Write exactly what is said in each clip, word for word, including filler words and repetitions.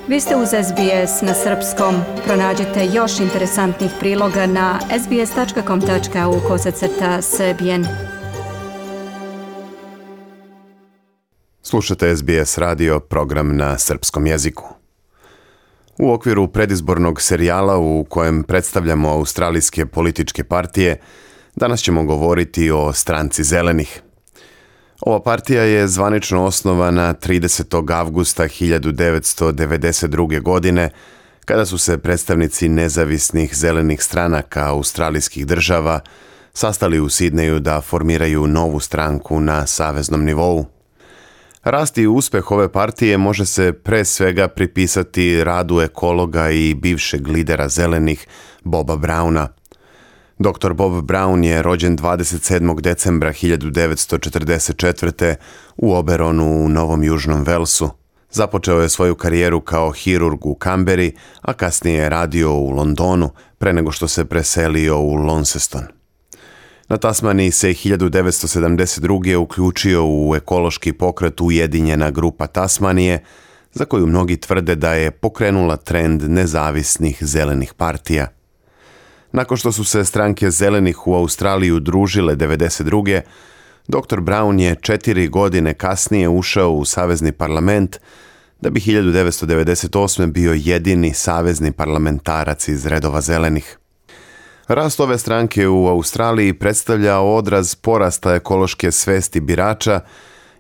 Vi ste uz S B S na srpskom. Pronađite još interesantnih priloga na sbs.com.au kosacrta srbijen. Slušate S B S radio, program na srpskom jeziku. U okviru predizbornog serijala u kojem predstavljamo australijske političke partije, danas ćemo govoriti o Stranci zelenih. Ova partija je zvanično osnovana tridesetog avgusta hiljadu devetsto devedeset druge. godine, kada su se predstavnici nezavisnih zelenih stranaka australijskih država sastali u Sidneju da formiraju novu stranku na saveznom nivou. Rast i uspeh ove partije može se pre svega pripisati radu ekologa i bivšeg lidera zelenih Boba Browna. doktor Bob Brown je rođen dvadeset sedmog decembra hiljadu devetsto četrdeset četvrte. u Oberonu u Novom Južnom Velsu. Započeo je svoju karijeru kao hirurg u Kamberi, a kasnije je radio u Londonu pre nego što se preselio u Launceston. Na Tasmaniji se hiljadu devetsto sedamdeset druge. uključio u ekološki pokret Ujedinjena grupa Tasmanije, za koju mnogi tvrde da je pokrenula trend nezavisnih zelenih partija. Nakon što su se stranke zelenih u Australiji udružile devedeset druge. doktor Brown je četiri godine kasnije ušao u savezni parlament, da bi hiljadu devetsto devedeset osme. bio jedini savezni parlamentarac iz redova zelenih. Rast ove stranke u Australiji predstavlja odraz porasta ekološke svesti birača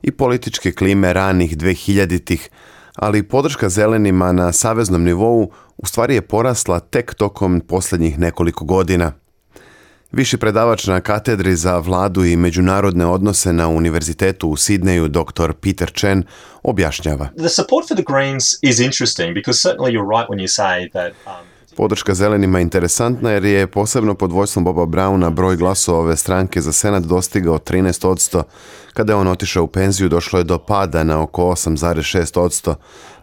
i političke klime ranih dvehiljaditih, ali podrška zelenima na saveznom nivou u stvari je porasla tek tokom posljednjih nekoliko godina. Viši predavač na katedri za vladu i međunarodne odnose na Univerzitetu u Sidneju, doktor Peter Chen, objašnjava. The support for the Greens is interesting because certainly you're right when you say that um, Podrška zelenima je interesantna jer je posebno pod vodstvom Boba Browna broj glasova ove stranke za senat dostigao trinaest posto. Kada je on otišao u penziju, došlo je do pada na oko osam zarez šest posto.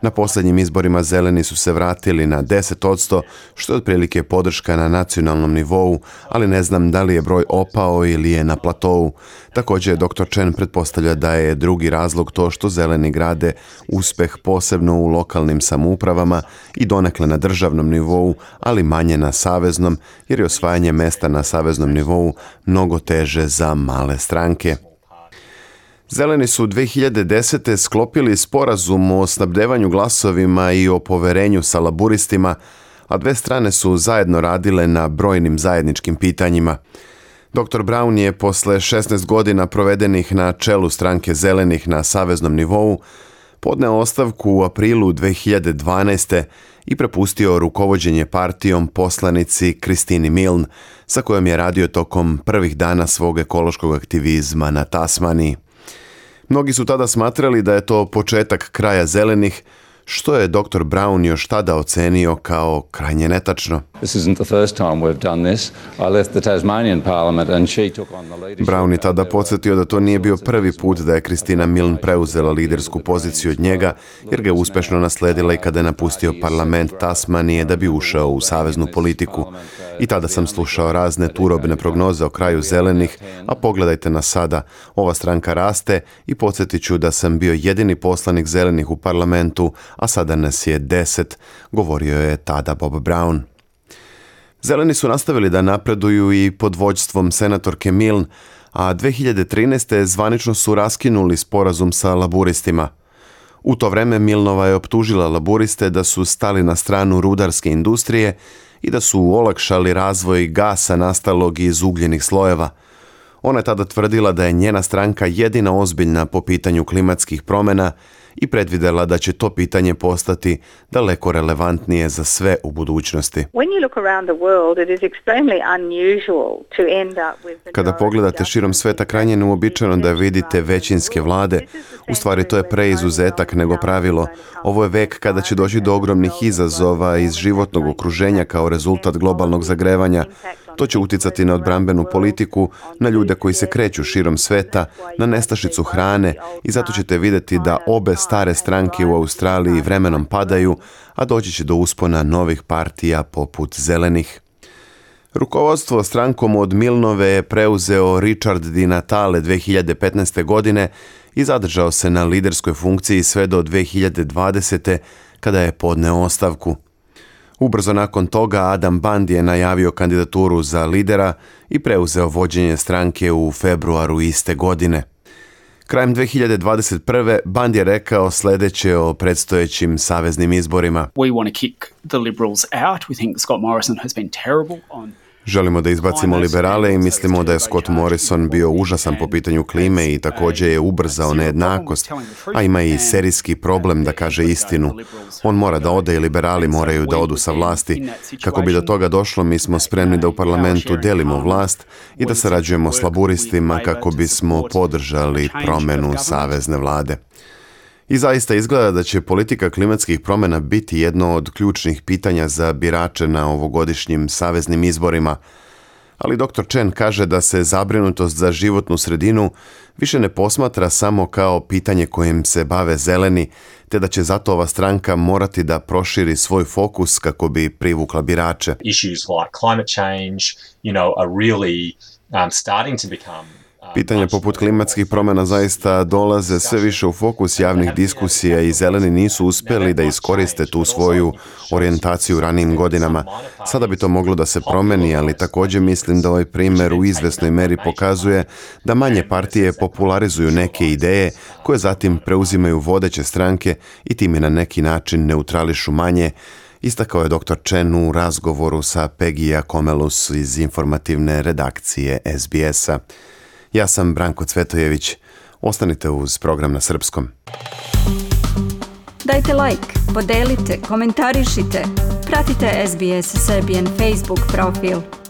Na posljednjim izborima zeleni su se vratili na deset posto, što je otprilike podrška na nacionalnom nivou, ali ne znam da li je broj opao ili je na platovu. Također doktor Chen pretpostavlja da je drugi razlog to što zeleni grade uspeh posebno u lokalnim samoupravama i donekle na državnom nivou, ali manje na saveznom, jer je osvajanje mesta na saveznom nivou mnogo teže za male stranke. Zeleni su dve hiljade desete. sklopili sporazum o snabdevanju glasovima i o poverenju sa laburistima, a dve strane su zajedno radile na brojnim zajedničkim pitanjima. doktor Brown je posle šesnaest godina provedenih na čelu stranke zelenih na saveznom nivou podneo ostavku u aprilu dve hiljade dvanaeste. i prepustio rukovođenje partijom poslanici Christine Milne, sa kojom je radio tokom prvih dana svog ekološkog aktivizma na Tasmaniji. Mnogi su tada smatrali da je to početak kraja zelenih, što je doktor Brown još tada ocenio kao krajnje netačno. Brown je tada podsjetio da to nije bio prvi put da je Christina Milne preuzela lidersku poziciju od njega, jer ga je uspešno nasledila i kada je napustio parlament Tasmanije da bi ušao u saveznu politiku. I tada sam slušao razne turobne prognoze o kraju zelenih, a pogledajte nas sada, ova stranka raste i podsjetit ću da sam bio jedini poslanik zelenih u parlamentu, a sada nas je deset, govorio je tada Bob Brown. Zeleni su nastavili da napreduju i pod vođstvom senatorke Milne, a dve hiljade trinaeste. zvanično su raskinuli sporazum sa laburistima. U to vreme Milnova je optužila laburiste da su stali na stranu rudarske industrije i da su olakšali razvoj gasa nastalog iz ugljenih slojeva. Ona je tada tvrdila da je njena stranka jedina ozbiljna po pitanju klimatskih promjena i predvidela da će to pitanje postati daleko relevantnije za sve u budućnosti. Kada pogledate širom sveta, krajnje neuobičajeno da vidite većinske vlade. U stvari to je preizuzetak nego pravilo. Ovo je vek kada će doći do ogromnih izazova iz životnog okruženja kao rezultat globalnog zagrevanja. To će uticati na odbrambenu politiku, na ljude koji se kreću širom sveta, na nestašicu hrane i zato ćete vidjeti da obe stare stranke u Australiji vremenom padaju, a doći će do uspona novih partija poput zelenih. Rukovodstvo strankom od Milnove je preuzeo Richard Di Natale dve hiljade petnaeste. godine i zadržao se na liderskoj funkciji sve do dve hiljade dvadesete. kada je podneo ostavku. Ubrzo nakon toga Adam Bandj je najavio kandidaturu za lidera i preuzeo vođenje stranke u februaru iste godine. Krajem dve hiljade dvadeset prve. Bandj je rekao sljedeće o predstojećim saveznim izborima. We want to kick the Liberals out. We think Scott Morrison has been terrible on Želimo da izbacimo liberale i mislimo da je Scott Morrison bio užasan po pitanju klime i također je ubrzao nejednakost, a ima i serijski problem da kaže istinu. On mora da ode i liberali moraju da odu sa vlasti. Kako bi do toga došlo, mi smo spremni da u parlamentu delimo vlast i da sarađujemo s laburistima kako bismo podržali promjenu savezne vlade. I zaista izgleda da će politika klimatskih promjena biti jedno od ključnih pitanja za birače na ovogodišnjim saveznim izborima. Ali doktor Chen kaže da se zabrinutost za životnu sredinu više ne posmatra samo kao pitanje kojim se bave zeleni, te da će zato ova stranka morati da proširi svoj fokus kako bi privukla birače. Issues like climate change, you know, are really um, starting to become Pitanja poput klimatskih promjena zaista dolaze sve više u fokus javnih diskusija i zeleni nisu uspjeli da iskoriste tu svoju orijentaciju u ranijim godinama. Sada bi to moglo da se promeni, ali također mislim da ovaj primjer u izvesnoj meri pokazuje da manje partije popularizuju neke ideje koje zatim preuzimaju vodeće stranke i time na neki način neutrališu manje, istakao je doktor Chen u razgovoru sa Pegija Komelus iz informativne redakcije S B S-a. Ja sam Branko Cvetojević. Ostanite uz program na srpskom. Dajte like, podelite, komentarišite. Pratite S B S Serbian Facebook profil.